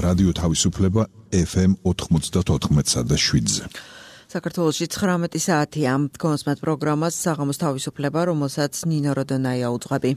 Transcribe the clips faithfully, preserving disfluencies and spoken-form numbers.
რადიო თავისუფლება ეფ ემ ოთხმოცდაოთხ და შვიდზე. საქართველოში ცხრამეტი საათია. გონსმათ პროგრამას საღამოს თავისუფლება, რომელსაც ნინო როდონაია უძღვები.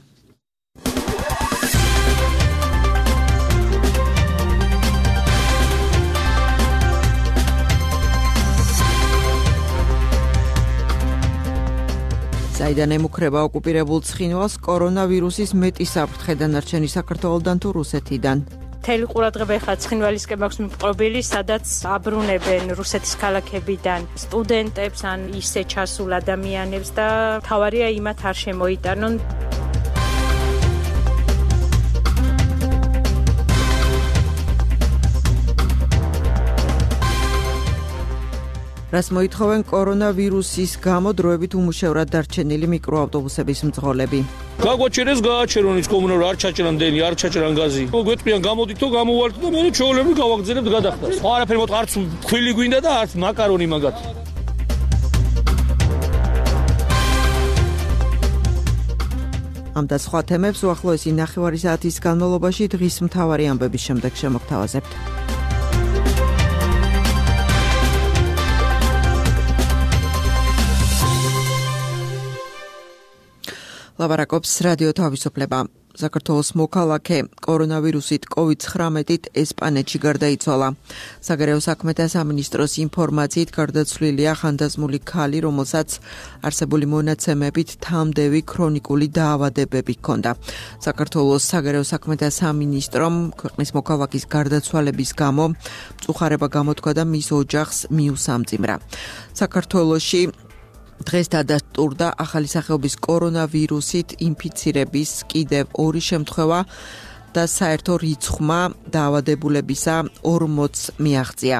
საიდან ემუქრება ოკუპირებულ ცხინვალს კორონავირუსის მეტი საფრთხე დანარჩენი საქართველოდან თუ რუსეთიდან. მთელი ყურადღება ეხლა ცხინვალისკენ მაქვს მიპყრობილი, სადაც აბრუნებენ რუსეთის ქალაქებიდან სტუდენტებს ან ისე ჩასულ ადამიანებს და თავარია იმათ არ შემოიტანონ. რას მოითხოვენ კორონავირუსის გამო დროებით უმუშევრად დარჩენილი მიკროავტობუსების მძღოლები. გაგვაჩერეს გააჩერონ ის კომუნალურ არ ჩაჭრან დენი, არ ჩაჭრან გაზი. გვეტყვიან გამოდითო გამოვალთ და მე ჩაოლები გავაგზავნებთ გადახდას. არაფერი მოთ არც ხილი გვინდა და არც მაკარონი მაგათ. ამ და სხვა თემებს უახლოესი ნახევარი საათის განმავლობაში დღის მთავარი ამბების შემდეგ შემოგთავაზებთ. ლაბარაკობს რადიო თავისუფლება. საქართველოს მოქალაქე კორონავირუსით კოვიდ ცხრამეტით ესპანეთში გარდაიცვალა. საგარეო საქმეთა სამინისტროს ინფორმაციით გარდაცვლილია ხანდაზმული ქალი, რომელსაც არსებული მონაცემებით თამდევი ქრონიკული დაავადებები ჰქონდა. საქართველოს საგარეო საქმეთა სამინისტრომ ქვეყნის მოქალაქის გარდაცვალების გამო მწუხარება გამოთქვა და მის ოჯახს მიუსამძიმრა. საქართველოში დღეს დადასტურდა ახალი სახეობის კორონავირუსით ინფიცირების კიდევ ორი შემთხვევა და საერთო რიცხვმა დაავადებულებისა ორმოცს მიაღწია.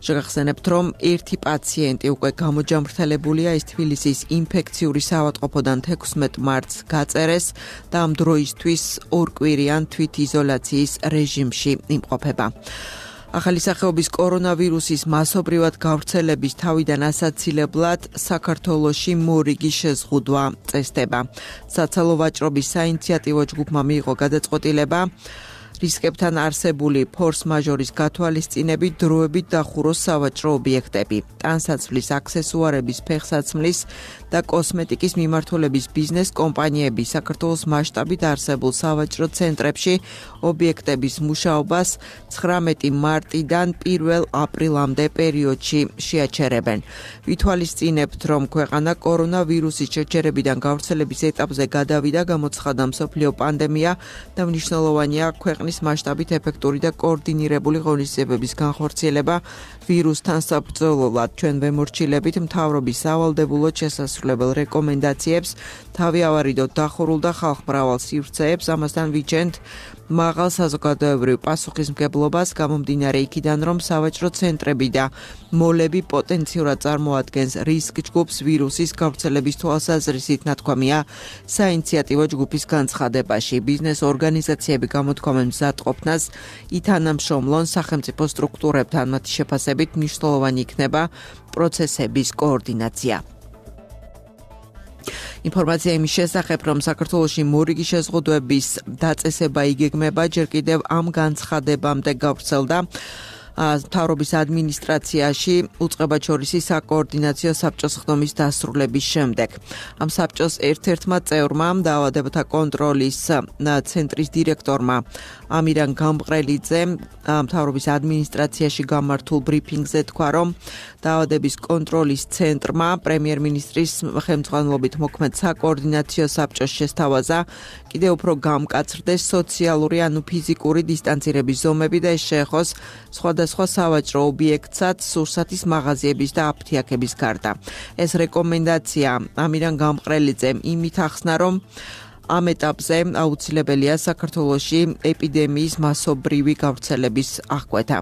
შეგახსენებთ, რომ ერთი პაციენტი უკვე გამოჯამრთელებულია, ის თბილისის ინფექციური საავადმყოფოდან თექვსმეტ მარტს გაწერეს და ამ დროისთვის ორკვირიან თვითიზოლაციის რეჟიმში იმყოფება. ახალი სახეობის კორონავირუსის მასობრივად გავრცელების თავიდან ასაცილებლად საქართველოში მორიგი შეზღუდვა წესდება. საცალო ვაჭრობის საინიციატივო ჯგუფმა მიიღო გადაწყვეტილება რისკებთან არსებული ფორს-მაჟორის გათვალისწინებით დროებით დახუროს სავაჭრო ობიექტები. ტანსაცმლის, აქსესუარების, ფეხსაცმლის და კოსმეტიკის მიმართულების ბიზნეს კომპანიები საქართველოს მასშტაბით არსებულ სავაჭრო ცენტრებში ობიექტების მუშაობას ცხრამეტი მარტიდან პირველ აპრილამდე პერიოდში შეაჩერებენ. ვითვალისწინებთ, რომ ქვეყანა კორონავირუსის შეჩერებიდან გავრცელების ეტაპზე გადავიდა, გამოცხადდა მსოფლიო პანდემია და მნიშვნელოვანია ქვეყნის მასშტაბით ეფექტური და კოორდინირებული ღონისძიებების განხორციელება ვირუსთან საბრძოლველად. ჩვენ ვემორჩილებით მთავრობის სავალდებულო შესასრულებელ რეკომენდაციებს, თავი ავარიდოთ დახურულ და ხალხ მრავალ სივრცეებს, ამასთან ვიჩენთ მაღალ საზოგადოებრივ პასუხისმგებლობას, გამომდინარე იქიდან, რომ სავაჭრო ცენტრები და მოლები პოტენციურად წარმოადგენს რისკ ჯგუფს ვირუსის გავრცელების თვალსაზრისით, ნათქვამია საინიციატივო ჯგუფის განცხადებაში. ბიზნეს ორგანიზაციები გამოთქვამენ მზადყოფნას, ითანამშრომლონ სახელმწიფო სტრუქტურებთან, მათი შეფასებით მნიშვნელოვანი იქნება პროცესების კოორდინაცია. ინფორმაცია იმის შესახებ, რომ საქართველოში მორიგი შეზღუდვების დაწესება იგეგმება, ჯერ კიდევ ამ განცხადებამდე გავრცელდა მთავრობის ადმინისტრაციაში უწყებაჩორისი საკოორდინაციო საბჭოს ხდომის დასრულების შემდეგ. ამ საბჭოს ერთ-ერთმა წევრმა, დაავადებათა კონტროლის ცენტრის დირექტორმა ამირან გამყრელიძე მთავრობის ადმინისტრაციაში გამართულ ბრიფინგზე თქვა, რომ დაავადების კონტროლის ცენტრმა პრემიერ-მინისტრის ხელმძღვანელობით მოქმედ საკოორდინაციო საბჭოს შესთავაზა კიდევ უფრო გამკაცრდეს სოციალური ანუ ფიზიკური დისტანცირების ზომები და ეს შეეხოს სხვადასხვა სავაჭრო ობიექტსაც, სურსათის მაღაზიების და აფთიაქების გარდა. ეს რეკომენდაცია ამირან გამყრელიძემ იმით ახსნა, რომ ამ ეტაპზე აუცილებელია საქართველოში ეპიდემიის მასობრივი გავრცელების აღკვეთა.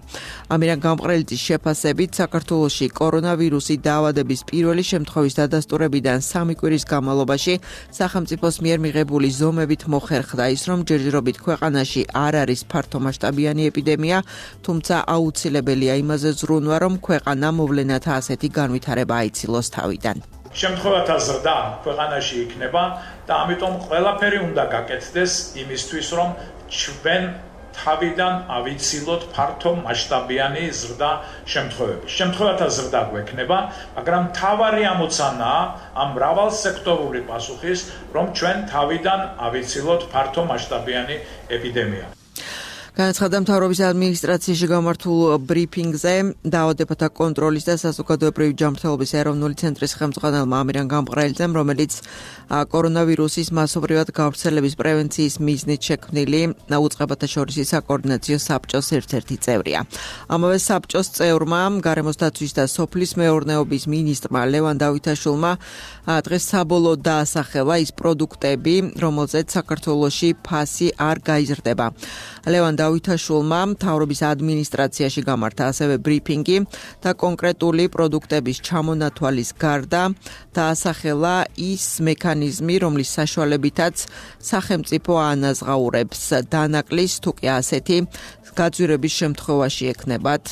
ამირან გამყრელიძის შეფასებით საქართველოში კორონავირუსი დაავადების პირველი შემთხვევის დადასტურებიდან სამი კვირის განმავლობაში სახელმწიფოს მიერ მიღებული ზომებით მოხერხდა ის, რომ ჯერჯერობით ქვეყანაში არ არის ფართომასშტაბიანი ეპიდემია, თუმცა აუცილებელია იმაზე ზრუნვა, რომ ქვეყანა მოვლენათა ასეთი განვითარება აიცილოს თავიდან. შემთხვევათა ზრდა ქვეყანაში იქნება და ამიტომ ყველაფერი უნდა გაკეთდეს იმისთვის, რომ ჩვენ თავიდან ავიცილოთ ფართო მასშტაბიანი ზრდა შემთხვევები. შემთხვევათა ზრდა გვექნება, მაგრამ მთავარი ამოცანაა ამ მრავალსექტორული პასუხის, რომ ჩვენ თავიდან ავიცილოთ ფართო მასშტაბიანი ეპიდემია. განაცხადა მთავრობის ადმინისტრაციაში გამართულ ბრიფინგზე დაავადებათა კონტროლის და საზოგადოებრივი ჯანმრთელობის ეროვნული ცენტრის ხელმძღვანელმა ამირან გამყრალიძემ, რომელიც კორონავირუსის მასობრივად გავრცელების პრევენციის მიზნით შექმნილი უწყებათა შორისი საკოორდინაციო საბჭოს ერთ-ერთი წევრია. ამავე საბჭოს წევრმა, გარემოს დაცვის და სოფლის მეურნეობის მინისტრმა ლევან დავითაშვილმა დღეს საბოლოოდ დაასახელა ის პროდუქტები, რომელზეც საქართველოში ფასი არ გაიზრდება. ლევან დავითაშვილმა მთავრობის ადმინისტრაციაში გამართა ასევე ბრიფინგი და კონკრეტული პროდუქტების ჩამონათვალის გარდა დაასახელა ის მექანიზმი, რომლის საშუალებითაც სახელმწიფო ანაზღაურებს დანაკლის თუ კი ასეთი გაძვირების შემთხვევაში ექნებათ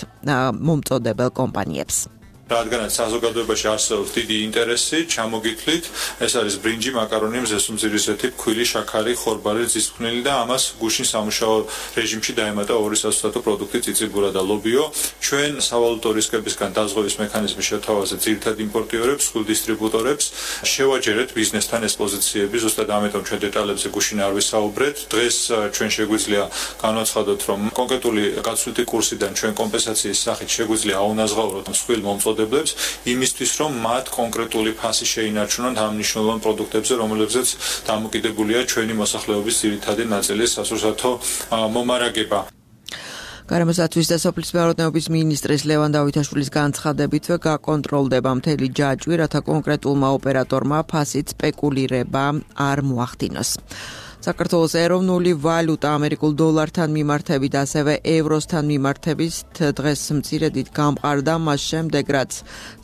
მომწოდებელ კომპანიებს. რადგანაც საზოგადოებაში არსებობს დიდი ინტერესი, ჩამოგითვლით, ეს არის ბრინჯი, მაკარონი, მზესუმძირისეთი, ფქვილი, შაქარი, ხორბალი, ძისფხვნილი და ამას გუშინ სამუშაო რეჟიმში დაემატა ორი სასუცათო პროდუქტი, წიწიბურა და ლობიო. ჩვენ სავალუტო რისკებისგან დაზღვევის მექანიზმის შეთავაზეთ ძირითად იმპორტიორებს, ხვილ დისტრიბუტორებს, შევაჯერეთ ბიზნესთან ეს პოზიციები, ზუსტად ამიტომ ჩვენ დეტალებზე გუშინ არ ვისაუბრეთ. დღეს ჩვენ შეგვიძლია განვაცხადოთ, რომ კონკრეტული გაცვლითი კურსიდან ჩვენ კომპენსაციის სახით შეგვიძლია აუნაზღაუროთ მსხვილ მომწოდებლებს იმისთვის, რომ მათ კონკრეტული ფასი შეინარჩუნონ ამ მნიშვნელოვან პროდუქტებზე, რომლებზეც დამოკიდებულია ჩვენი მოსახლეობის ძირითადი ნაწილის სასურსათო მომარაგება. გარემოს დაცვის და სოფლის მეურნეობის მინისტრის ლევან დავითაშვილის განცხადებით გაკონტროლდება მთელი ჯაჭვი, რათა კონკრეტულმა ოპერატორმა ფასით სპეკულირება არ მოახდინოს. საქართველოს ეროვნული ვალუტა ამერიკულ დოლართან მიმართებით, ასევე ევროსთან მიმართებით დღეს მცირედით გამყარდა, მას შემდეგ რაც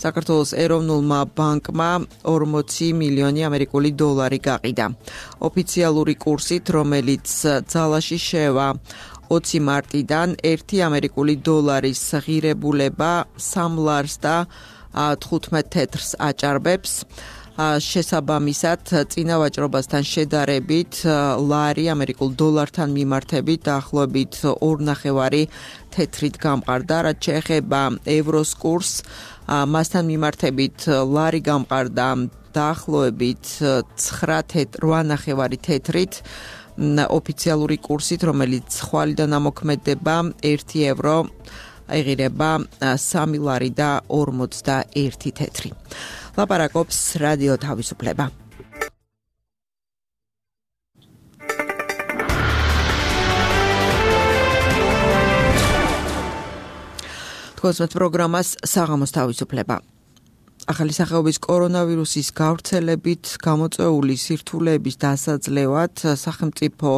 საქართველოს ეროვნულმა ბანკმა ორმოცი მილიონი ამერიკული დოლარი გაყიდა. ოფიციალური კურსით, რომელიც ძალაში შევა ოცი მარტიდან, ერთი ამერიკული დოლარის ღირებულება სამ ლარს და თხუთმეტ თეთრს აჭარბებს. შესაბამისად, წინა ვაჭრობასთან შედარებით ლარი ამერიკულ დოლართან მიმართებით დაახლოებით ორი ნახევარი თეთრით გამყარდა, რაც შეეხება ევროს კურსს, მასთან მიმართებით ლარი გამყარდა დაახლოებით ცხრა ნახევარი თეთრით, ოფიციალური კურსით, რომელიც ხვალიდან ამოქმედება ერთი ევრო ეღირება სამი ლარი და ორმოცდაერთი თეთრი. ლაპარაკობს რადიო თავისუფლება. თქვენს პროგრამას საღამოს თავისუფლება. ახალი სახეობის კორონავირუსის გავრცელებით გამოწვეული სირთულეების დასაძლევად სახელმწიფო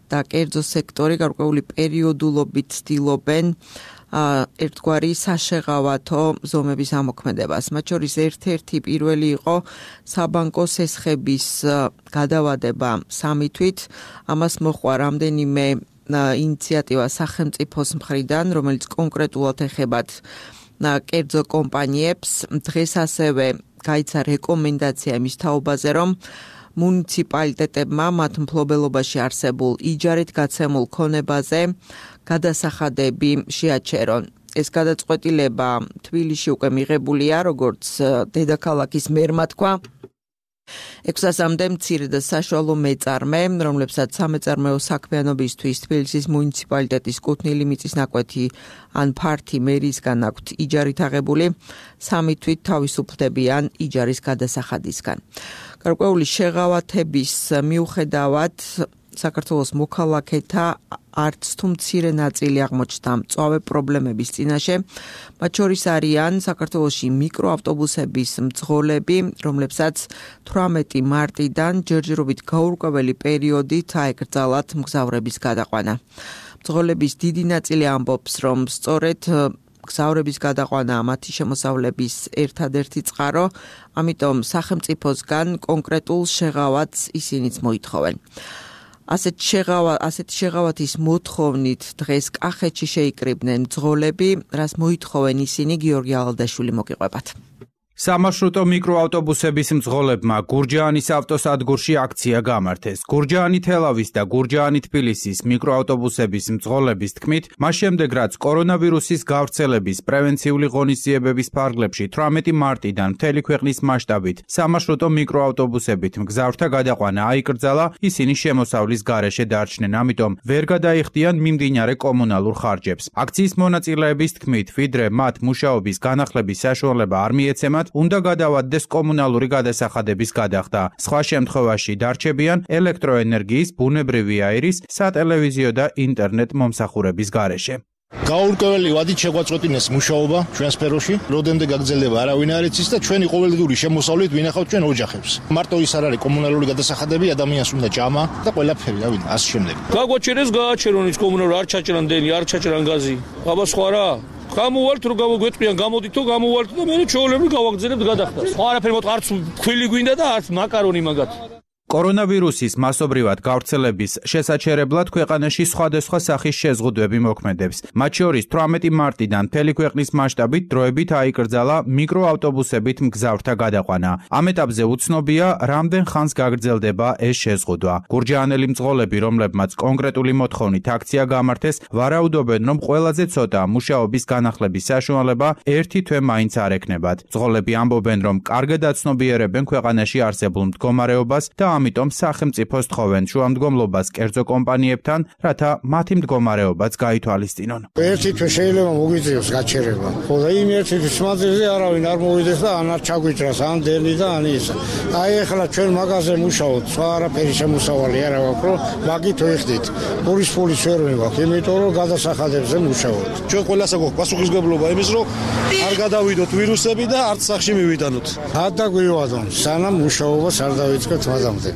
და კერძო სექტორი გარკვეული პერიოდულობით ცდილობენ ერთგვარი საშეღავათო ზომების ამოქმედებას. მათ შორის ერთ-ერთი პირველი იყო საბანკო სესხების გადავადება სამი თვით. ამას მოჰყვა რამდენიმე ინიციატივა სახელმწიფოს მხრიდან, რომელიც კონკრეტულად ეხებათ კერძო კომპანიებს. დღეს ასევე გაიცა რეკომენდაცია იმის თაობაზე, რომ მუნიციპალიტეტებმა მათ მფლობელობაში არსებულ იჯარით გაცემულ ქონებაზე გადასახადები შეაჩერონ. ეს გადაწყვეტილება თბილისში უკვე მიღებულია, როგორც დედაქალაქის მერმა თქვა. ექვსასამდე მცირე და საშუალო მეწარმე, რომლებსაც სამეწარმეო საქმიანობისთვის თბილისის მუნიციპალიტეტის კუთვნილი მიწის ნაკვეთი ან ფართი მერისგან აქვთ იჯარით აღებული, სამი თვით თავისუფლდებიან იჯარის გადასახადისგან. გარკვეული შეღავათების მიუხედავად საქართველოს მოქალაქეთა არც თუ მცირე ნაწილი აღმოჩნდა მწვავე პრობლემების წინაშე. მათ შორის არიან საქართველოში მიკროავტობუსების მძღოლები, რომლებსაც თვრამეტი მარტიდან ჯერჯერობით გაურკვეველი პერიოდით აეკრძალათ მგზავრების გადაყვანა. მძღოლების დიდი ნაწილი ამბობს, რომ სწორედ მგზავრების გადაყვანა მათი შემოსავლების ერთადერთი წყარო, ამიტომ სახელმწიფოსგან კონკრეტულ შეღავათს ისინიც მოითხოვენ. ასეთ შეღავა, ასეთი შეღავათის მოთხოვნით დღეს კახეთში შეიკრიბნენ მძღოლები, რას მოითხოვენ ისინი, გიორგი ალადაშვილი მოგიყვებათ. სამარშრუტო მიკროავტობუსების მძღოლებმა გურჯაანის ავტოსადგურში აქცია გამართეს. გურჯაანი თელავის და გურჯაანი თბილისის მიკროავტობუსების მძღოლების თქმით, მას შემდეგ რაც კორონავირუსის გავრცელების პრევენციული ღონისძიებების ფარგლებში თვრამეტი მარტიდან მთელი ქვეყნის მასშტაბით სამარშრუტო მიკროავტობუსებით მგზავრთა გადაყვანა აიკრძალა, ისინი შემოსავლის გარეშე დარჩნენ, ამიტომ ვერ გადაიხდიან მიმდინარე კომუნალურ ხარჯებს. აქციის მონაწილეების თქმით, ვიდრე მათ მუშაობის განახლების საშუალება არ მიეცემათ, უნდა გადავადდეს კომუნალური გადასახადების გადახდა. სხვა შემთხვევაში დარჩებიან ელექტროენერგიის, ბუნებრივი აირის, სატელევიზიო და ინტერნეტ მომსახურების გარეშე. გაურკვეველი ვადით შეგვაწყვეტინეს მუშაობა ჩვენ სფეროში, როდემდე გაგრძელდება არავინ არ იცის და ჩვენი ყოველდღიური შემოსავლით ვინახავთ ჩვენ ოჯახებს. მარტო ის არ არის კომუნალური გადასახადები, ადამიანს უნდა ჭამა და ყველაფერი, რა ვიცი, ასე შემდეგ. გაგვაჩერეს გააჩერონ ის კომუნალური არ ჩაჭრან დენი, არ ჩაჭრან გაზი. აბა სხვა რა? გამოვალთ რომ გამოგვეტყვიან, გამოდით თუ გამოვალთ და მე ჩვეულებრივ გავაგზავნებთ გადახდას. არაფერი მოყ არც ქვილი გვინდა და არც მაკარონი მაგათ. კორონავირუსის მასობრივად გავრცელების შესაჩერებლად ქვეყანაში სხვადასხვა სახის შეზღუდვები მოქმედებს. მათ შორის თვრამეტი მარტიდან მთელი ქვეყნის მასშტაბით დროებით აიკრძალა მიკროავტობუსებით მგზავრთა გადაყვანა. ამ ეტაპზე უცნობია, რამდენ ხანს გაგრძელდება ეს შეზღუდვა. გურჯაანელი მძღოლები, რომლებმაც კონკრეტული მოთხოვნით აქცია გამართეს, ვარაუდობენ, რომ ყველაზე ცოტა მუშაობის განახლების საშუალება ერთი თვე მაინც არ ექნებათ. მძღოლები ამბობენ, რომ კარგად აცნობიერებენ ქვეყანაში არსებულ მდგომარეობას და ამიტომ სახელმწიფოს თხოვენ შუამდგომლობას კერძო კომპანიებთან, რათა მათი მდგომარეობაც გაითვალისწინონ. ერთი თვე შეიძლება მოგვიწევს გაჩერება. ხო და იმ ერთი თვის მანძილზე არავინ არ მოვიდეს და ან არ ჩაგვიჭრას, ან დენი და ან ის. აი ახლა ჩვენ მაგაზე მუშაობთ, სხვა არაფერი შემოსავალი არა გვაქვს, რომ მაგით ვიხდით. პურის ფულის ვერ ვიღაქვთ, იმიტომ რომ გადასახადებზე მუშაობთ. ჩვენ ყველას აქვს პასუხისმგებლობა იმის, რომ არ გადავიდოთ ვირუსები და არც სახში მივიდანოთ. არ დაგვივადონ, სანამ მუშაობას არ დავიწყებთ მადამდე.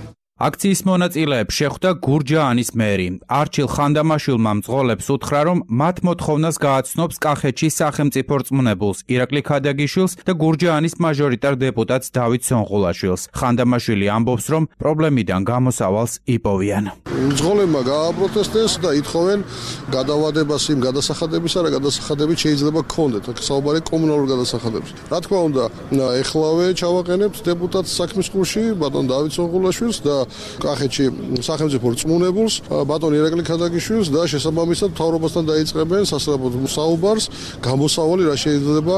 აქციის მონაწილეებს შეხვდა გურჯაანის მერი. არჩილ ხანდამაშვილმა მძღოლებს უთხრა, რომ მათ მოთხოვნას გააცნობს კახეთში სახელმწიფო რწმუნებულს ირაკლი ქადაგიშვილს და გურჯაანის მაჟორიტარ დეპუტატს დავით სონღულაშვილს. ხანდამაშვილი ამბობს, რომ პრობლემიდან გამოსავალს იპოვიან. მძღოლებმა გააპროტესტეს და ითხოვენ გადავადებას იმ გადასახადებისა, რა გადასახადებით შეიძლება გქონდეთ. აქ საუბარი კომუნალურ გადასახადებს. რა თქმა უნდა, ეხლავე ჩავაყენებთ დეპუტატს საქმის ყურში, ბატონ დავით სონღულაშვილს და კახეთში სახელმწიფო რწმუნებულს, ბატონ ირაკლი ქადაგიშვილს და შესაბამისად მთავრობასთან დაიწყებენ სასწრაფოდ საუბარს, გამოსავალი რა შეიძლება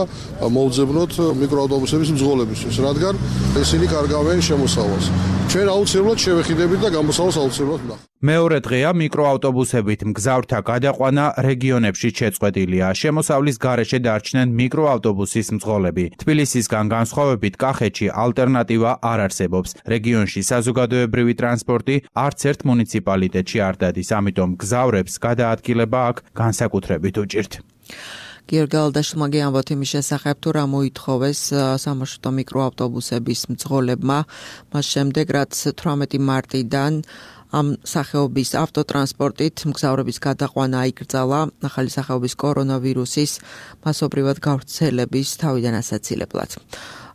მოვძებნოთ მიკროავტობუსების მძღოლებისთვის, რადგან ისინი კარგავენ შემოსავალს. ჩვენ აუცილებლად შევეხიდებით და გამოსავალს აუცილებლად ვნახავთ. მეორე დღეა მიკროავტობუსებით მგზავრთა გადაყვანა რეგიონებში შეწყვეტილია. შემოსავლის გარეშე დარჩნენ მიკროავტობუსის მძღოლები. თბილისისგან განსხვავებით კახეთში ალტერნატივა არ არსებობს. რეგიონში საზოგადოებრივი ტრანსპორტი არც ერთ მუნიციპალიტეტში არ დადის, ამიტომ მგზავრებს გადაადგილება აქ განსაკუთრებით უჭირთ. გიორგი ალდაშვილმა გეამბოთ იმის შესახებ, თუ რა მოითხოვეს სამარშრუტო მიკროავტობუსების მძღოლებმა, მას შემდეგ რაც თვრამეტი მარტიდან ამ სახეობის ავტოტრანსპორტით მგზავრების გადაყვანა აიკრძალა ახალი სახეობის კორონავირუსის მასობრივად გავრცელების თავიდან ასაცილებლად.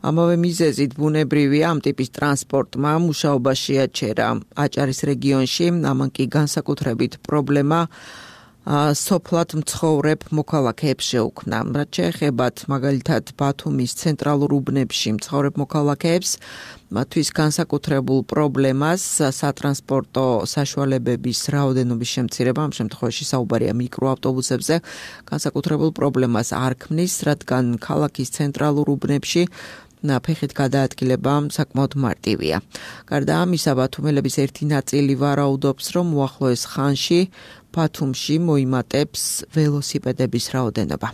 ამავე მიზეზით ბუნებრივია ამ ტიპის ტრანსპორტმა მუშაობა შეაჩერა აჭარის რეგიონში, ამან კი განსაკუთრებით პრობლემა სოფლად მცხოვრებ მოქალაქეებს შეუქმნა. რაც შეეხებათ მაგალითად ბათუმის ცენტრალურ უბნებში მცხოვრებ მოქალაქეებს, მათთვის განსაკუთრებულ პრობლემას სატრანსპორტო საშუალებების რაოდენობის შემცირება, ამ შემთხვევაში საუბარია მიკროავტობუსებზე, განსაკუთრებულ პრობლემას არ ქმნის, რადგან ქალაქის ცენტრალურ უბნებში ფეხით გადაადგილება საკმაოდ მარტივია. გარდა ამისა, ბათუმელების ერთი ნაწილი ვარაუდობს, რომ უახლოეს ხანში ბათუმში მოიმატებს ველოსიპედების რაოდენობა.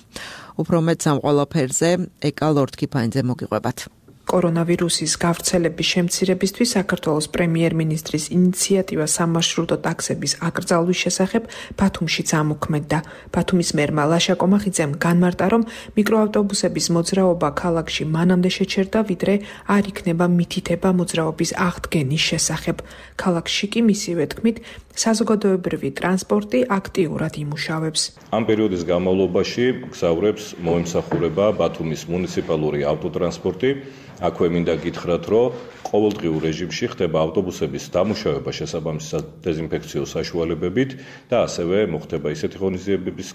უფრო მეტ ამ ყველაფერზე ეკა ლორთქიფანიძე მოგიყვებათ. კორონავირუსის გავრცელების შემცირებისთვის საქართველოს პრემიერ-მინისტრის ინიციატივა სამარშრუტო ტაქსების აკრძალვის შესახებ ბათუმშიც ამოქმედდა. ბათუმის მერმა ლაშა კომახიძემ განმარტა, რომ მიკროავტობუსების მოძრაობა ქალაქში მანამდე შეჩერდა, ვიდრე არ იქნება მითითება მოძრაობის აღდგენის შესახებ. ქალაქში კი მისივე თქმით, საზოგადოებრივი ტრანსპორტი აქტიურად იმუშავებს. ამ პერიოდის განმავლობაში მგზავრებს მოემსახურება ბათუმის მუნიციპალური ავტოტრანსპორტი. აქვე მინდა გითხრათ, რომ ყოველდღიურ რეჟიმში ხდება ავტობუსების დამუშავება შესაბამისი დეზინფექციო საშუალებებით და ასევე მოხდება ისეთი ღონისძიებების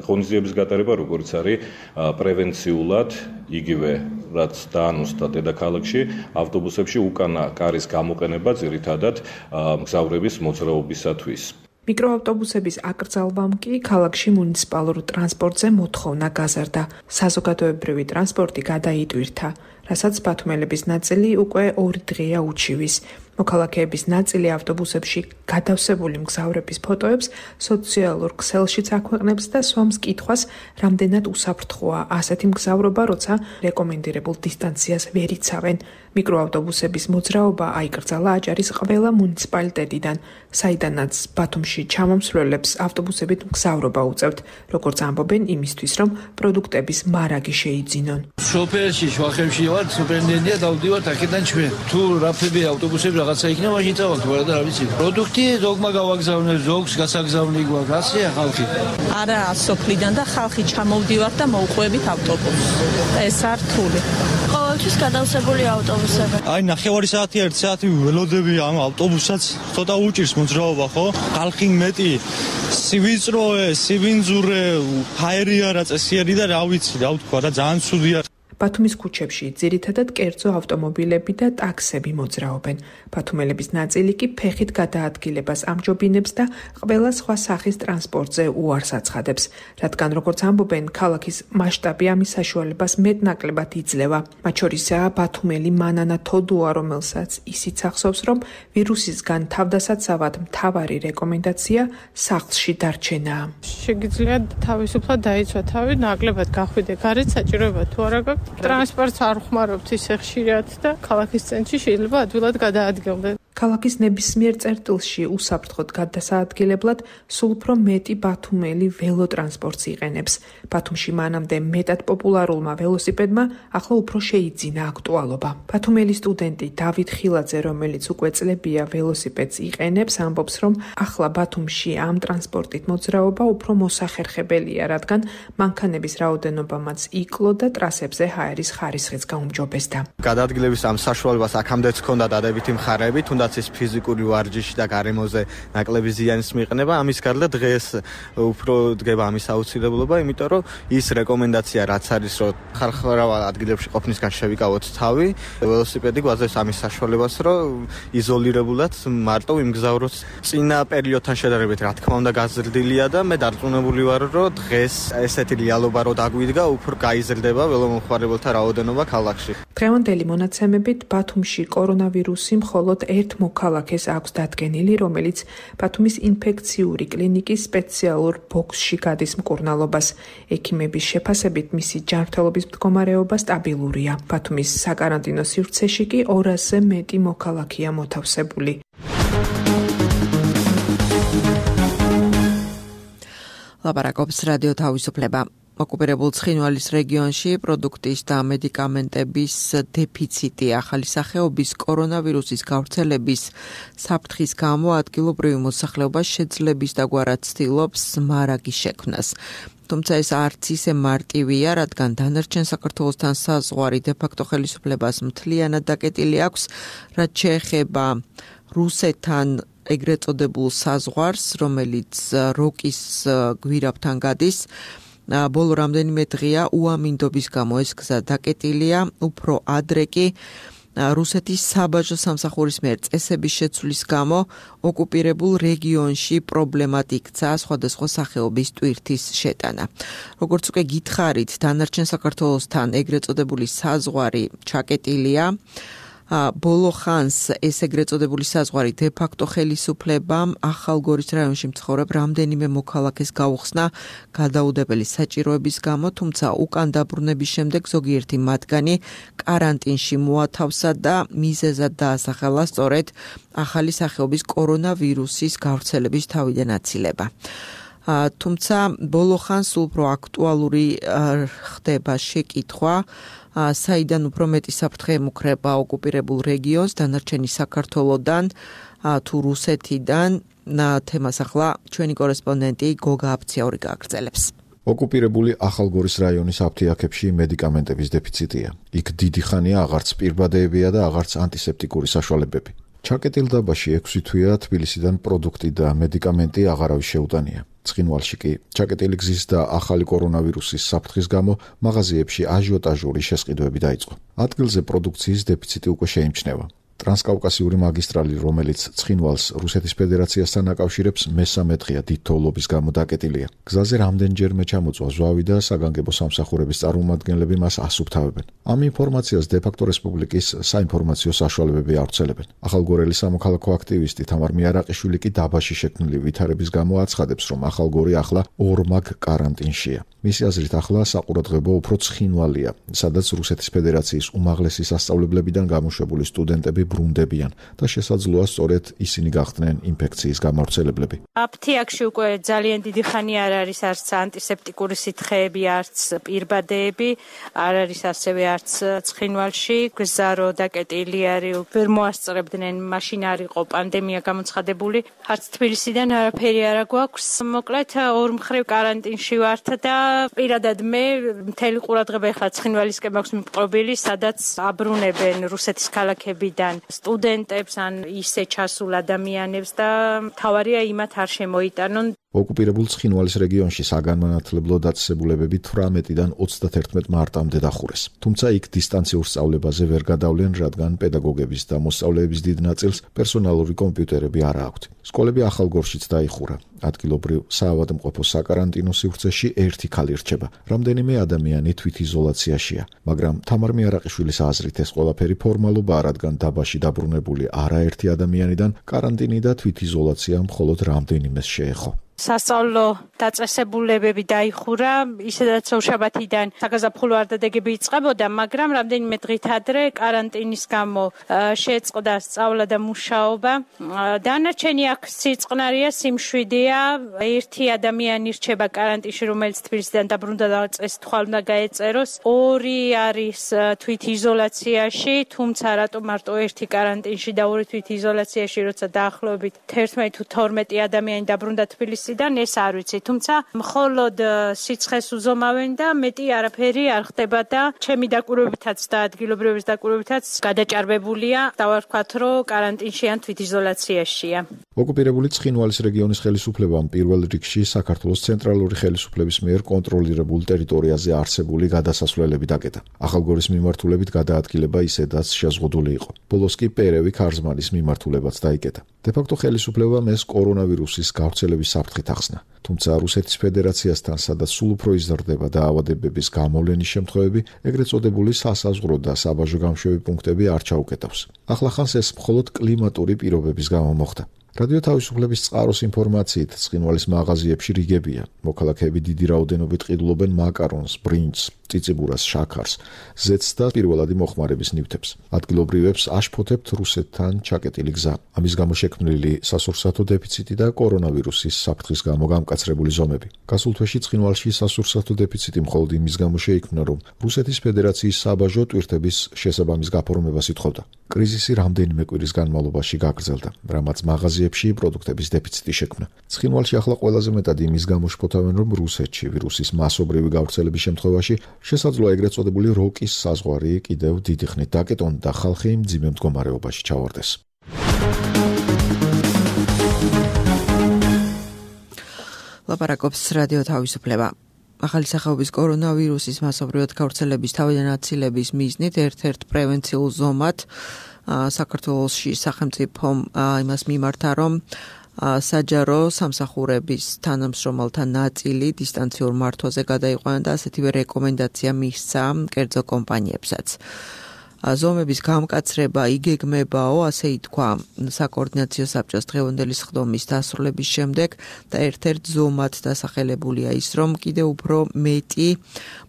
ღონისძიების გატარება, როგორც არის პრევენციულად იგივე რაც დაანონსდა დედაქალაქში, ავტობუსებში უკანა კარის გამოყენება ძირითადად მგზავრების მოძრაობისათვის. მიკროავტობუსების აკრძალვამ კი ქალაქში მუნიციპალურ ტრანსპორტზე მოთხოვნა გაზარდა. საზოგადოებრივი ტრანსპორტი გადაიტვირთა, რასაც ბათუმელების ნაწილი უკვე ორი დღეა უჩივის. მოქალაქეების ნაწილი ავტობუსებში გადავსებული მგზავრების ფოტოებს სოციალურ ქსელშიც აქვეყნებს და სვამს კითხვას, რამდენად უსაფრთხოა ასეთი მგზავრობა, როცა რეკომენდირებულ დისტანციას ვერ იცავენ. მიკროავტობუსების მოძრაობა აიკრძალა აჭარის ყველა მუნიციპალიტეტიდან, საიდანაც ბათუმში ჩამომსვლელებს ავტობუსებით მგზავრობა უწევთ, როგორც ამბობენ იმისთვის, რომ პროდუქტების მარაგი შეიძინონ. სოფელში, შვახებში ვარ, სუპერნენია დავდივართ აქედან ჩვენ. თუ რაფები ავტობუსები რაღაცა იქნება, მაშინ წავალთ, ვარა და რა ვიცი. პროდუქტი ზოგმა გავაგზავნე, ზოგს გასაგზავნი გვაქვს, ასეა ხალხი. არა, სოფლიდან და ხალხი ჩამოვდივართ და მოვყვებით ავტობუსს. ეს არ რთული. ყოველთვის გადავსებული ავტობუსები. აი, ნახევარი საათი, ერთი საათი ველოდები ამ ავტობუსაც, ცოტა უჭირს მოძრაობა, ხო? ხალხი მეტი სივიწროე, სივინძურე, ჰაერია რა წესიერი და რა ვიცი, რა ვთქვა, რა ძალიან ცუდია. ბათუმის ქუჩებში ძირითადად კერძო ავტომობილები და ტაქსები მოძრაობენ. ბათუმელების ნაწილი კი ფეხით გადაადგილებას ამჯობინებს და ყველა სხვა სახის ტრანსპორტზე უარს აცხადებს, რადგან როგორც ამბობენ, ქალაქის მასშტაბი ამის საშუალებას მეტნაკლებად იძლევა. მათ შორისაა ბათუმელი მანანა თოდუა, რომელსაც ისიც ახსოვს, რომ ვირუსისგან თავდასაცავად მთავარი რეკომენდაცია სახლში დარჩენაა. შეგიძლიათ თავისუფლად დაიცვა თავი, ნაკლებად გახვიდე გარეთ, საჭიროება თუ არა გაქვს. ტრანსპორტს არ ხმარობთ ისე ხშირად და ქალაქის ცენტრში შეიძლება ადვილად გადაადგილდეთ. ქალაქის ნებისმიერ წერტილში უსაფრთხოდ გადასაადგილებლად სულ უფრო მეტი ბათუმელი ველოტრანსპორტს იყენებს. ბათუმში მანამდე მეტად პოპულარულმა ველოსიპედმა ახლა უფრო შეიძინა აქტუალობა. ბათუმელი სტუდენტი დავით ხილაძე, რომელიც უკვე წლებია ველოსიპედს იყენებს, ამბობს, რომ ახლა ბათუმში ამ ტრანსპორტით მოძრაობა უფრო მოსახერხებელია, რადგან მანქანების რაოდენობა მას იკლო და ტრასებზე ჰაერის ხარისხიც გაუმჯობესდა. გადაადგილების ამ საშუალებას აქამდეც ჰქონდა დადებითი მხარეები, თუნდაც ის ფიზიკური ვარჯიში და გარემოზე ნაკლები ზიანის მიყენება, ამის გარდა დღეს უფრო დგება ამის აუცილებლობა, იმიტომ რომ ის რეკომენდაცია რაც არის, რომ ხალხმრავალ ადგილებში ყოფნისგან შევიკავოთ თავი, ველოსიპედი გვაძლევს ამის საშუალებას, რომ იზოლირებულად მარტო იმგზავროთ. წინა პერიოდთან შედარებით, რა თქმა უნდა, გაზრდილია და მე დარწმუნებული ვარ, რომ დღეს ესეთი რეალობა რო დაგვიდგა, უფრო გაიზრდება ველომომხმარებელთა რაოდენობა ქალაქში. დღევანდელი მონაცემებით ბათუმში კორონავირუსი მხოლოდ ერთ მოქალაქეს აქვს დადგენილი, რომელიც ბათუმის ინფექციური კლინიკის სპეციალურ ბოქსში გადის მკურნალობას. ექიმების შეფასებით მისი ჯანმრთელობის მდგომარეობა სტაბილურია. ბათუმის საკარანტინო სივრცეში კი ორასზე მეტი მოქალაქეა მოთავსებული. ლაპარაკობს რადიო თავისუფლება. ოკუპირებულ ცხინვალის რეგიონში პროდუქტის და მედიკამენტების დეფიციტი ახალი სახეობის კორონავირუსის გავრცელების საფრთხის გამო ადგილობრივი მოსახლეობა შეძლების დაგვარად ცდილობს მარაგის შექმნას. თუმცა ეს არც ისე მარტივია, რადგან დანარჩენ საქართველოსთან საზღვარი დე-ფაქტო ხელისუფლებას მთლიანად დაკეტილი აქვს, რაც შეეხება რუსეთთან ეგრეთ წოდებულ საზღვარს, რომელიც როკის გვირაბთან გადის. ბოლო რამდენიმე დღეა უამინდობის გამო ეს გზა დაკეტილია, უფრო ადრე კი რუსეთის საბაჟო სამსახურის მიერ წესების შეცვლის გამო ოკუპირებულ რეგიონში პრობლემად იქცა სხვადასხვა სახეობის ტვირთის შეტანა. როგორც უკვე გითხარით, დანარჩენ საქართველოსთან ეგრეთ წოდებული საზღვარი ჩაკეტილია. ბოლო ხანს ეს ეგრეთ წოდებული საზღვარი დე-ფაქტო ხელისუფლებამ ახალგორის რაიონში მცხოვრებ რამდენიმე მოქალაქეს გაუხსნა გადაუდებელი საჭიროების გამო, თუმცა უკან დაბრუნების შემდეგ ზოგიერთი მათგანი კარანტინში მოათავსა და მიზეზად დაასახელა სწორედ ახალი სახეობის კორონავირუსის გავრცელების თავიდან აცილება. თუმცა ბოლო ხანს უფრო აქტუალური ხდება შეკითხვა, საიდან უფრო მეტი საფრთხე ემუქრება ოკუპირებულ რეგიონს, დანარჩენი საქართველოდან თუ რუსეთიდან. თემას ახლა ჩვენი კორესპონდენტი გოგა აფციაური გააგრძელებს. ოკუპირებული ახალგორის რაიონის აფთიაქებში მედიკამენტების დეფიციტია. იქ დიდი ხანია აღარც პირბადეებია და აღარც ანტისეპტიკური საშუალებები. ჩაკეტილ დაბაში ექვსი თვეა თბილისიდან პროდუქტი და მედიკამენტი აღარავის შეუტანია. ცხინვალში კი ჩაკეტილი გზის და ახალი კორონავირუსის საფრთხის გამო მაღაზიებში აჟიოტაჟური შესყიდვები დაიწყო. ადგილზე პროდუქციის დეფიციტი უკვე შეიმჩნევა. ტრანსკავკასიური მაგისტრალი, რომელიც ცხინვალს რუსეთის ფედერაციასთან აკავშირებს, მესამე დღეა დიდ თოვლობის გამო დაკეტილია. გზაზე რამდენჯერმე ჩამოწვა ზვავი და საგანგებო სამსახურების წარმომადგენლები მას ასუფთავებენ. ამ ინფორმაციას დე-ფაქტო რესპუბლიკის საინფორმაციო საშუალებები ავრცელებენ. ახალგორელის სამოქალაქო აქტივისტი თამარ მიარაყიშვილი კი დაბაში შექმნილი ვითარების გამო აცხადებს, რომ ახალგორი ახლა ორმაგ კარანტინშია. მისი აზრით ახლა საყურადღებო უფრო ცხინვალია, სადაც რუსეთის ფედერაციის უმაღლესი სასწავლებლებიდან გამოშვებული სტუდენტები ბრუნდებიან და შესაძლოა სწორედ ისინი გახდნენ ინფექციის გამავრცელებლები. აფთიაქში უკვე ძალიან დიდი ხანი არ არის არც ანტისეპტიკური სითხეები, არც პირბადეები, არ არის ასევე არც ცხინვალში. გზა რო დაკეტილი არის, ვერ მოასწრებდნენ, მაშინ არ იყო პანდემია გამოცხადებული. არც თბილისიდან არაფერი არ გვაქვს. მოკლედ ორ მხრივ კარანტინში ვართ და პირადად მე მთელი ყურადღება ეხლა ცხინვალისკენ მაქვს მიპყრობილი, სადაც აბრუნებენ რუსეთის ქალაქებიდან სტუდენტებს ან ისე ჩასულ ადამიანებს და თავარია იმათ არ შემოიტანონ. ოკუპირებულ ცხინვალის რეგიონში საგანმანათლებლო დაწესებულებები თვრამეტიდან ოცდაათერთმეტ მარტამდე დახურეს. თუმცა იქ დისტანციურ სწავლებაზე ვერ გადავლენ, რადგან პედაგოგების და მოსწავლეების დიდ ნაწილს პერსონალური კომპიუტერები არ აქვთ. სკოლები ახალგორშიც დაიხურა. ადგილობრივ საავადმყოფო საკარანტინო სივრცეში ერთი ქალი რჩება. რამდენიმე ადამიანი თვითიზოლაციაშია, მაგრამ თამარ მიარაყიშვილის აზრით ეს ყველაფერი ფორმალობაა, რადგან დაბაში დაბრუნებული არაერთი ადამიანიდან კარანტინი და თვითიზოლაცია მხოლოდ რამდენიმეს შეეხო. სასწავლო დაწესებულებები დაიხურა, ისედაც შაბათიდან საგაზაფხულო არდადეგები იწყებოდა, მაგრამ რამდენიმე დღით ადრე კარანტინის გამო შეწყდა სწავლა და მუშაობა. დანარჩენი აქ სიწყნარია, სიმშვიდეა, ერთი ადამიანი რჩება კარანტინში, რომელიც თბილისიდან დაბრუნდა და წესით ხვალ უნდა გაეწეროს. ორი არის თვითიზოლაციაში, თუმცა რატო მარტო ერთი კარანტინში და ორი თვითიზოლაციაში, როცა დაახლოებით თერთმეტი თუ თორმეტი ადამიანი დაბრუნდა თბილისიდან, ეს არ ვიცი, თუმცა მხოლოდ სიცხეს უზომავენ და მეტი არაფერი არ ხდება და ჩემი დაკვირვებითაც და ადგილობრივების დაკვირვებითაც გადაჭარბებულია. დავარქვათ, რომ კარანტინში ან თვითიზოლაციაშია. ოკუპირებული ცხინვალის რეგიონის ხელისუფლებამ პირველ რიგში საქართველოს ცენტრალური ხელისუფლების მიერ კონტროლირებულ ტერიტორიაზე არსებული გადასასვლელები დაკეტა. ახალგორის მიმართულებით გადაადგილება ისედაც შეზღუდული იყო. ბოლოს კი პერევი ქარზმანის მიმართულებაც დაიკეტა. დე-ფაქტო ხელისუფლებამ ეს კორონავირუსის გავრცელების საფრთხით ახსნა. თუმცა რუსეთის ფედერაციასთან, სადაც სულ უფრო იზრდება დაავადებების გამოვლენის შემთხვევები, ეგრეთ წოდებული სასაზღვრო და საბაჟო გამშვები პუნქტები არ ჩაუკეტავს. ახლახანს ეს მხოლოდ კლიმატური პირობების გამო მოხდა. რადიო თავისუფლების წყაროს ინფორმაციით, ცხინვალის მაღაზიებში რიგებია. მოქალაქეები დიდი რაოდენობით ყიდულობენ მაკარონს, ბრინჯს, წიწიბურას, შაქარს, ზეთს და პირველადი მოხმარების ნივთებს. ადგილობრივებს აშფოთებთ რუსეთთან ჩაკეტილი გზა. ამის გამო შექმნილი სასურსათო დეფიციტი და კორონავირუსის საფრთხის გამო გამკაცრებული ზომები. გასულ თვეში ცხინვალში სასურსათო დეფიციტი მხოლოდ იმის გამო შეიქმნა, რომ რუსეთის ფედერაციის საბაჟო ტვირთების შესაბამის გაფორმებას ითხოვდა. კრიზისი რამდენიმე კვირის განმავლობაში გაგრძელდა, რამაც მაღაზიებში პროდუქტების დეფიციტი შექმნა. ცხინვალში ახლა ყველაზე მეტად იმის გამო შფოთავენ, რომ რუსეთში ვირუსის მასობრივი გავრცელების შემთხვევაში შესაძლოა ეგრეთ წოდებული როკის საზღვარი კიდევ დიდი ხნით დაკეტონ და ხალხი მძიმე მდგომარეობაში ჩავარდეს. ლაპარაკობს რადიო თავისუფლება. ახალი სახეობის კორონავირუსის მასობრივად გავრცელების თავიდან აცილების მიზნით ერთ-ერთ პრევენციულ ზომად საქართველოში სახელმწიფომ იმას მიმართა, რომ საჯარო სამსახურების თანამშრომელთა ნაწილი დისტანციურ მართვაზე გადაიყვანა და ასეთივე რეკომენდაცია მისცა კერძო კომპანიებსაც. ზომების გამკაცრება იგეგმებაო, ასე ითქვა საკოორდინაციო საბჭოს დღევანდელი სხდომის დასრულების შემდეგ და ერთ-ერთ ზომად დასახელებულია ის, რომ კიდევ უფრო მეტი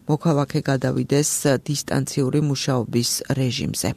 მოქალაქე გადავიდეს დისტანციური მუშაობის რეჟიმზე.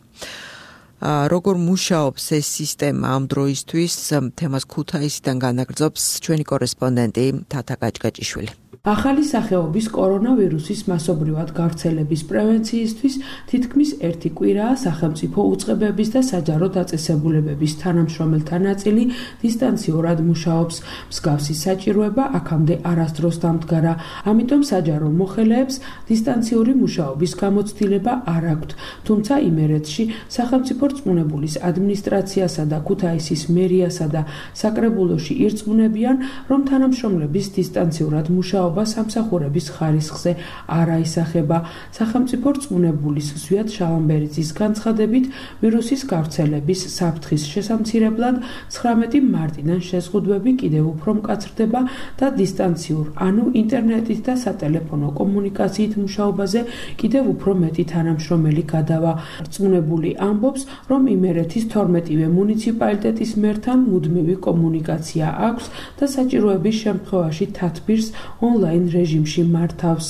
როგორ მუშაობს ეს სისტემა ამ დროისთვის, თემას ქუთაისიდან განაგრძობს ჩვენი კორესპონდენტი თათა გაჭგაჭიშვილი. ახალი სახეობის კორონავირუსის მასობრივად გავრცელების პრევენციისთვის თითქმის ერთი კვირაა სახელმწიფო უწყებების და საჯარო დაწესებულებების თანამშრომელთა ნაწილი დისტანციურად მუშაობს. მსგავსი საჭიროება აქამდე არასდროს დამდგარა, ამიტომ საჯარო მოხელეებს დისტანციური მუშაობის გამოცდილება არ აქვთ. თუმცა იმერეთში სახელმწიფო რწმუნებულის ადმინისტრაციასა და ქუთაისის მერიასა და საკრებულოში ირწმუნებიან, რომ თანამშრომლების დისტანციურად მუშაობა სამსახურების ხარისხზე არ აისახება. სახელმწიფო რწმუნებულის ზვიად შალამბერიძის განცხადებით, ვირუსის გავრცელების საფრთხის შესამცირებლად ცხრამეტი მარტიდან შეზღუდვები კიდევ უფრო მკაცრდება და დისტანციურ, ანუ ინტერნეტით და სატელეფონო კომუნიკაციით მუშაობაზე კიდევ უფრო მეტი თანამშრომელი გადავა. რწმუნებული ამბობს, რომ იმერეთის თორმეტივე მუნიციპალიტეტის მერთან მუდმივი კომუნიკაცია აქვს და საჭიროების შემთხვევაში თათბირს ონლაინ რეჟიმში მართავს.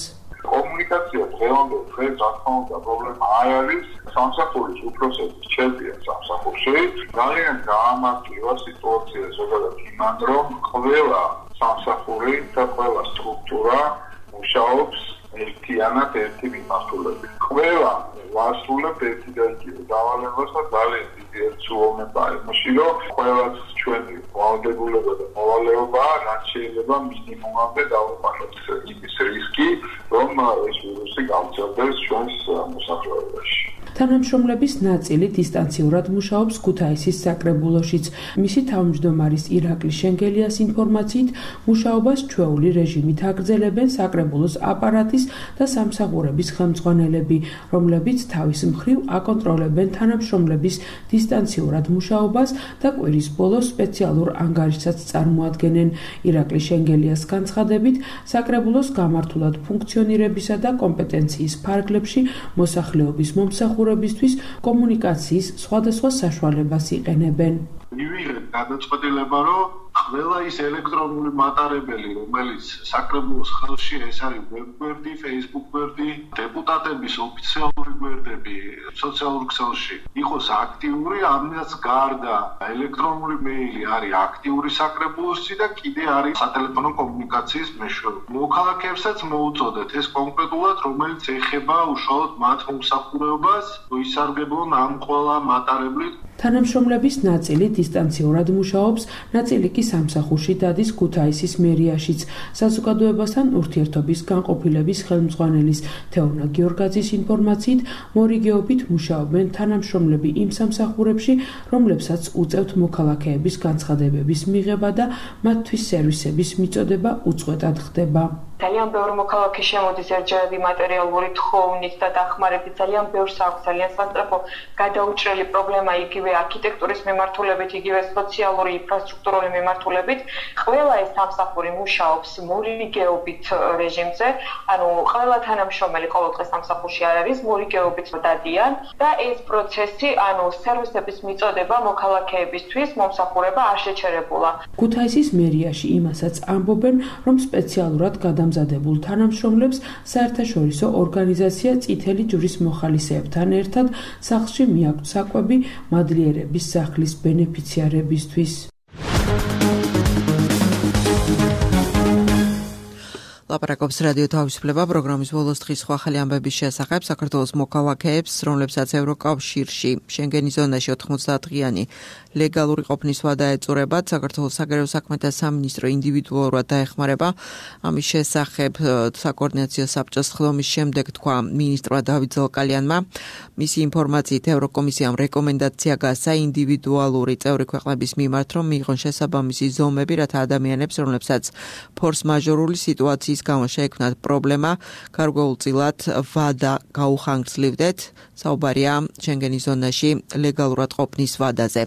კომუნიკაცია დღევანდელ დღეს რა თქმა უნდა პრობლემა არ არის. სამსახურის უფროსების ჩერპია სამსახურში. ძალიან გაამართლება სიტუაცია ზოგადად იმან, რომ ყველა სამსახური და ყველა სტრუქტურა მუშაობს ერთიანად ერთი მიმართულებით. ყველა ვასრულებთ ერთი და იგივე დავალებას და ძალიან დიდი ერთსულოვნება იმაში, რომ ყველას ჩვენი ვალდებულება და მოვალეობა რაც შეიძლება მინიმუმამდე დავუყენოთ იმის რისკი, რომ ეს ვირუსი გავრცელდეს ჩვენს მოსახლეობაში. თანამშრომლების ნაწილი დისტანციურად მუშაობს ქუთაისის საკრებულოშიც. მისი თავმჯდომარის ირაკლი შენგელიას ინფორმაციით, მუშაობას ჩვეული რეჟიმით აგრძელებენ საკრებულოს აპარატის და სამსახურების ხელმძღვანელები, რომლებიც თავის მხრივ აკონტროლებენ თანამშრომლების დისტანციურად მუშაობას და კვირის ბოლოს სპეციალურ ანგარიშსაც წარმოადგენენ. ირაკლი შენგელიას განცხადებით, საკრებულოს გამართულად ფუნქციონირებისა და კომპეტენციის ფარგლებში მოსახლეობის მომსახურებისთვის კომუნიკაციის სხვადასხვა საშუალებას იყენებენ. მივიღეთ გადაწყვეტილება, რომ ყველა ის ელექტრონული მატარებელი, რომელიც საკრებულოს ხელში ეს არის ვებგვერდი, Facebook გვერდი, დეპუტატების ოფიციალური გვერდები სოციალურ ქსელში იყოს აქტიური, ამას გარდა ელექტრონული მეილი არის აქტიური საკრებულოსი და კიდე არის სატელეფონო კომუნიკაციის მეშვეობით. მოქალაქეებსაც მოუწოდეთ ეს კონკრეტულად, რომელიც ეხება უშუალოდ მათ მომსახურებას, ისარგებლონ ამ ყველა მატარებლით. თანამშრომლების ნაწილი დისტანციურად მუშაობს, ნაწილი კი სამსახურში დადის ქუთაისის მერიაშიც. საზოგადოებასთან ურთიერთობის განყოფილების ხელმძღვანელის თეორნა გიორგაძის ინფორმაციით, მორიგეობით მუშაობენ თანამშრომლები იმ სამსახურებში, რომლებსაც უწევთ მოქალაქეების განცხადებების მიღება და მათთვის სერვისების მიწოდება უწყვეტად ხდება. ძალიან ბევრი მოქალაქე შემოდის ერთჯერადი მატერიალური თხოვნით და დახმარებით, ძალიან ბევრს აქვს ძალიან სასწრაფო გადაუჭრელი პრობლემა იგივე არქიტექტურის მიმართულებით, იგივე სოციალური ინფრასტრუქტურული მიმართულებით. ყველა ეს სამსახური მუშაობს მორიგეობით რეჟიმზე, ანუ ყველა თანამშრომელი ყოველდღე სამსახურში არ არის, მორიგეობით დადიან და ეს პროცესი, ანუ სერვისების მიწოდება მოქალაქეებისთვის მომსახურება არ შეჩერებულა. ქუთაისის მერიაში იმასაც ამბობენ, რომ სპეციალურად გადამ დამზადებულ თანამშრომლებს საერთაშორისო ორგანიზაცია წითელი ჯვრის მოხალისეებთან ერთად სახლში მიაქვთ საკვები მადლიერების სახლის ბენეფიციარებისთვის. ლაპარაკობს რადიო თავისუფლება პროგრამის ბოლოს დღის სხვა ახალი ამბების შესახებ. საქართველოს მოქალაქეებს, რომლებსაც ევროკავშირში შენგენის ზონაში ოთხმოცდაათდღიანი ლეგალური ყოფნის ვადა ეწურებათ, საქართველოს საგარეო საქმეთა სამინისტრო ინდივიდუალურად დაეხმარება. ამის შესახებ საკოორდინაციო საბჭოს ხდომის შემდეგ თქვა მინისტრმა დავით ზოლკალიანმა. მისი ინფორმაციით ევროკომისიამ რეკომენდაცია გასცა ინდივიდუალური წევრი ქვეყნების მიმართ, რომ მიიღონ შესაბამისი ზომები, რათა ადამიანებს, რომლებსაც ფორს მაჟორული სიტუაციის გამო შეექმნათ პრობლემა, გარკვეულწილად ვადა გაუხანგრძლივდეთ. საუბარია შენგენის ზონაში ლეგალურად ყოფნის ვადაზე.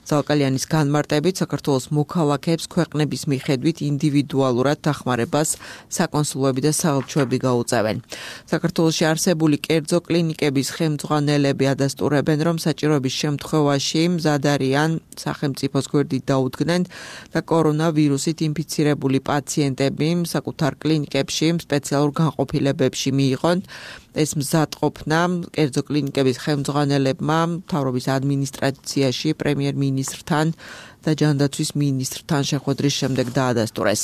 ზოლკალიანის განმარტებით საქართველოს მოქალაქეებს ქვეყნების მიხედვით ინდივიდუალურად დახმარებას საკონსულოები და საელჩოები გაუწევენ. საქართველოში არსებული კერძო კლინიკების ხელმძღვანელები ადასტურებენ, რომ საჭიროების შემთხვევაში მზად არიან სახელმწიფოს გვერდით დაუდგნენ და კორონავირუსით ინფიცირებული პაციენტები საკუთარ კლინიკებში კლინიკებში, სპეციალურ განყოფილებებში მიიღონ. ეს მზადყოფნა კერძო კლინიკების ხელმძღვანელებმა მთავრობის ადმინისტრაციაში პრემიერ-მინისტრთან და ჯანდაცვის მინისტრთან შეხვედრის შემდეგ დაადასტურეს.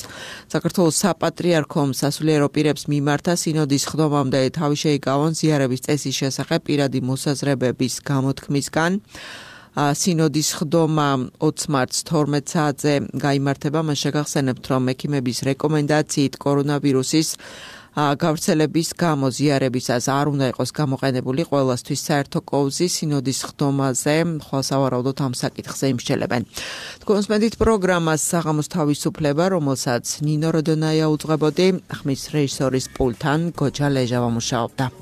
საქართველოს საპატრიარქომ სასულიერო პირებს მიმართა სინოდის ხდომამდე თავი შეიკავონ ზიარების წესის შესახებ პირადი მოსაზრებების გამოთქმისგან. სინოდის ხდომა ოცი მარტს თორმეტ საათზე გაიმართება. მას შეგახსენებთ, რომ ექიმების რეკომენდაციით კორონავირუსის გავრცელების გამო ზიარებისას არ უნდა იყოს გამოყენებული ყველასთვის საერთო კოვზი. სინოდის ხდომაზე ხვალ სავარაუდოდ ამ საკითხზე იმსჯელებენ. თქვენს მედით პროგრამას საღამოს თავისუფლება, რომელსაც ნინო როდონაია უძღვებოდი, ხმის რეჟისორის პულთან გოჯა ლეჟავა მუშაობდა.